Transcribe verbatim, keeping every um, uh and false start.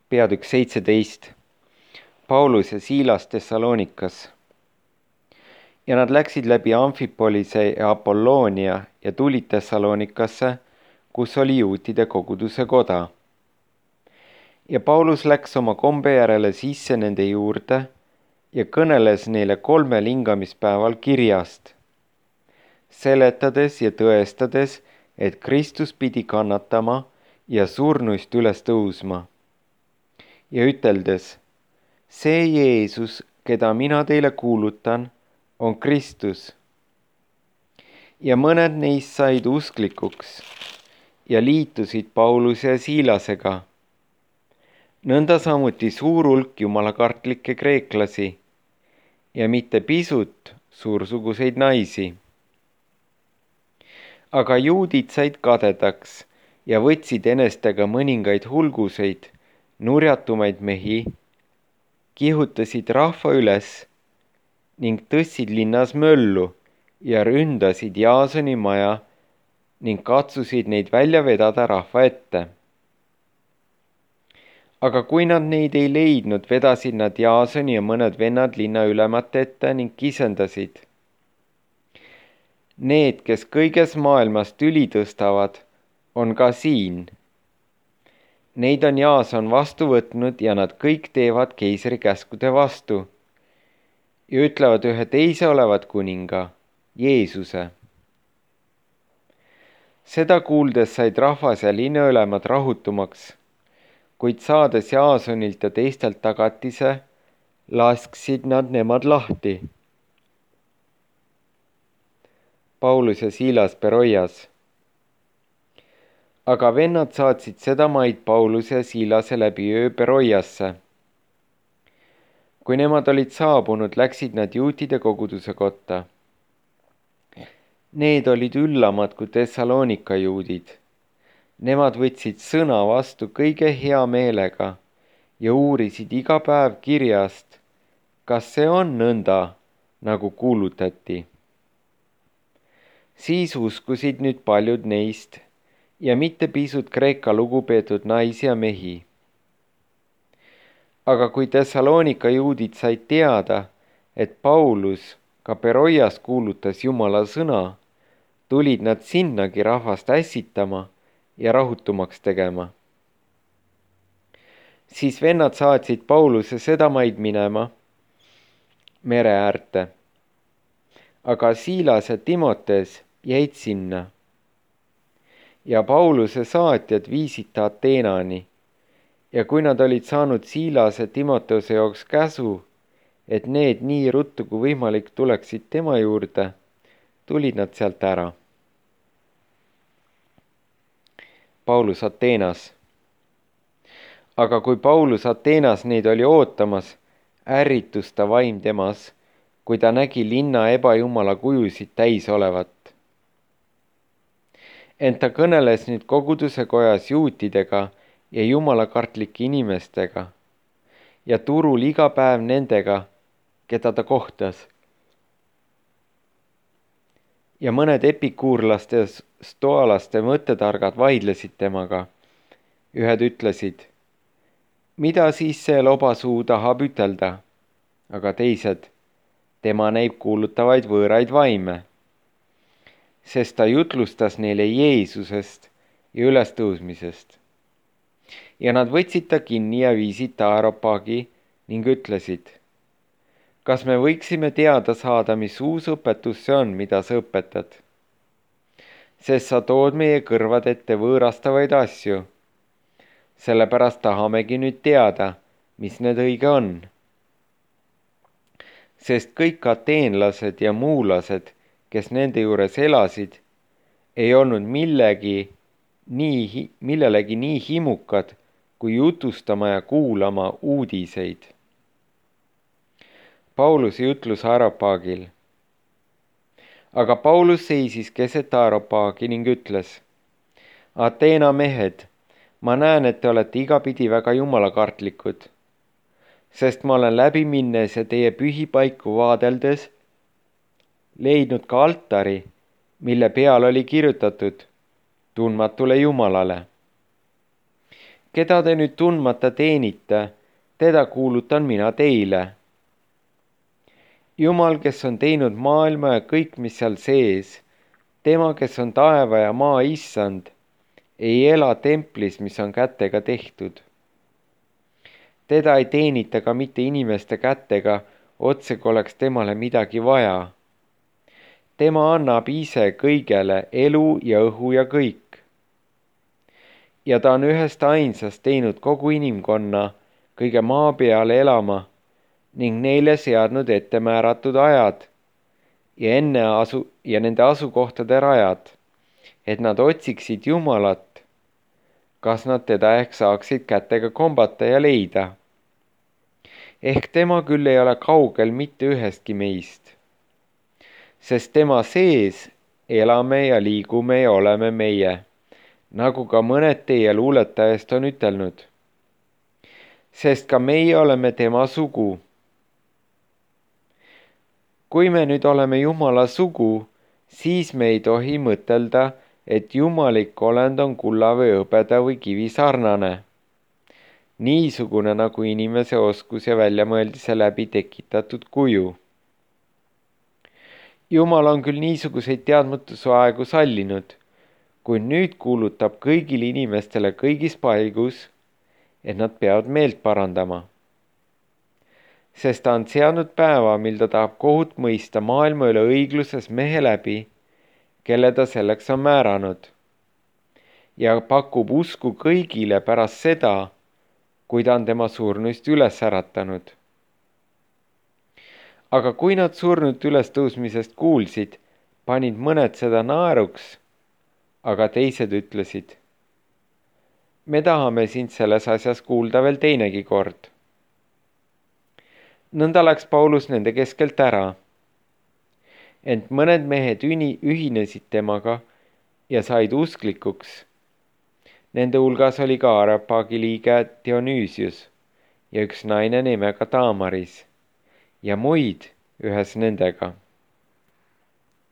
peatükk seitseteist. Paulus ja Siilas Thessalonikas. Ja nad läksid läbi Amfipolise ja Apolloonia ja tulid Thessalonikasse, kus oli juutide koguduse koda. Ja Paulus läks oma kombe järele sisse nende juurde ja kõneles neile kolmel hingamispäeval kirjast, seletades ja tõestades, et Kristus pidi kannatama ja surnuist üles tõusma. Ja üteldes, see Jeesus, keda mina teile kuulutan, on Kristus. Ja mõned neist said usklikuks ja liitusid Pauluse ja Siilasega. Nõnda samuti suur hulk jumalakartlikke kreeklasi ja mitte pisut suursuguseid naisi. Aga juudid said kadedaks ja võtsid enestega mõningaid hulguseid, nurjatumaid mehi, kihutasid rahva üles ning tõstsid linnas möllu ja ründasid Jaasoni maja ning katsusid neid välja vedada rahva ette. Aga kui nad neid ei leidnud, vedasid nad Jaasoni ja mõned vennad linna ülemate ette ning kisendasid. Need, kes kõiges maailmas tüli tõstavad, on ka siin. Neid on Jaason vastu võtnud ja nad kõik teevad keisri käskude vastu ja ütlevad ühe teise olevat kuninga, Jeesuse. Seda kuuldes said rahvas ja linnaülemad rahutumaks, kuid saades Jaasonilt ja teistelt tagatise, lasksid nad nemad lahti. Paulus ja Siilas Beroias. Aga vennad saatsid seda maid Pauluse ja Siilase läbi öö Beroiasse. Kui nemad olid saabunud, läksid nad juutide koguduse kotta. Need olid üllamad kui Thessalonika juudid. Nemad võtsid sõna vastu kõige hea meelega ja uurisid iga päev kirjast, kas see on nõnda, nagu kuulutati. Siis uskusid nüüd paljud neist ja mitte pisut Kreeka lugupeetud naisi ja mehi. Aga kui Thessalonika juudid said teada, et Paulus ka Beroias kuulutas Jumala sõna, tulid nad sinnagi rahvast ässitama ja rahutumaks tegema. Siis vennad saatsid Pauluse seda maid minema mere äärte, aga Siilas ja Timotes jäid sinna. Ja Pauluse saatjad viisid ta Ateenani ja kui nad olid saanud Siilase Timoteuse jaoks käsu, et need nii ruttu kui võimalik tuleksid tema juurde, tulid nad sealt ära. Paulus Ateenas. Aga kui Paulus Ateenas neid oli ootamas, ärritus ta vaim temas, kui ta nägi linna ebajumala kujusid täis olevat. Ent ta kõneles nüüd koguduse kojas juutidega ja jumalakartlike inimestega ja turul iga päev nendega, keda ta kohtas. Ja mõned epikuurlaste ja stoalaste mõttetargad vaidlesid temaga. Ühed ütlesid, mida siis see lobasuu tahab ütelda, aga teised, tema näib kuulutavaid võõraid vaime, sest ta jutlustas neile Jeesusest ja ülestõusmisest. Ja nad võtsid ta kinni ja viisid ta Areopagi ning ütlesid, kas me võiksime teada saada, mis uus õpetus see on, mida sa õpetad? Sest sa tood meie kõrvad ette võõrastavaid asju. Sellepärast tahamegi nüüd teada, mis need õige on. Sest kõik ateenlased ja muulased, kes nende juures elasid, ei olnud millegi nii, millelegi nii himukad, kui jutustama ja kuulama uudiseid. Pauluse jutlus Areopagil. Aga Paulus seisis keset Areopagi ning ütles, Ateena mehed, ma näen, et te olete igapidi väga jumalakartlikud, sest ma olen läbi minnes ja teie pühipaiku vaadeldes leidnud ka altari, mille peal oli kirjutatud tundmatule Jumalale. keda te nüüd tundmata teenite, teda kuulutan mina teile. Jumal, kes on teinud maailma ja kõik, mis seal sees, tema, kes on taeva ja maa issand, ei ela templis, mis on kätega tehtud. Teda ei teenita ka mitte inimeste kätega, otse kui oleks temale midagi vaja. Tema annab ise kõigele elu ja õhu ja kõik. Ja ta on ühest ainsast teinud kogu inimkonna kõige maa peale elama ning neile seadnud ettemääratud ajad ja enne asu ja nende asukohtade rajad, et nad otsiksid Jumalat, kas nad teda ehk saaksid kätega kombata ja leida. Ehk tema küll ei ole kaugel mitte ühestki meist, sest tema sees elame ja liigume ja oleme meie, nagu ka mõned teie luuletajast on ütelnud. Sest ka meie oleme tema sugu. Kui me nüüd oleme Jumala sugu, siis me ei tohi mõtelda, et jumalik olend on kulla või hõbeda või kivi sarnane. Niisugune nagu inimese oskus ja väljamõeldise läbi tekitatud kuju. Jumal on küll niisuguseid teadmatuse aegu sallinud, kuid nüüd kuulutab kõigile inimestele kõigis paigus, et nad peavad meelt parandama. Sest ta on seadnud päeva, mil ta tahab kohut mõista maailma üle õigluses mehe läbi, kelle ta selleks on määranud, ja pakub usku kõigile pärast seda, kui ta on tema surnuist üles äratanud. Aga kui nad surnud ülestõusmisest kuulsid, panid mõned seda naeruks, aga teised ütlesid, me tahame sind selles asjas kuulda veel teinegi kord. Nõnda läks Paulus nende keskelt ära, ent mõned mehed ühinesid temaga ja said usklikuks. Nende hulgas oli ka Areopagi liige Dionüüsius ja üks naine nimega Taamaris ja muid ühes nendega.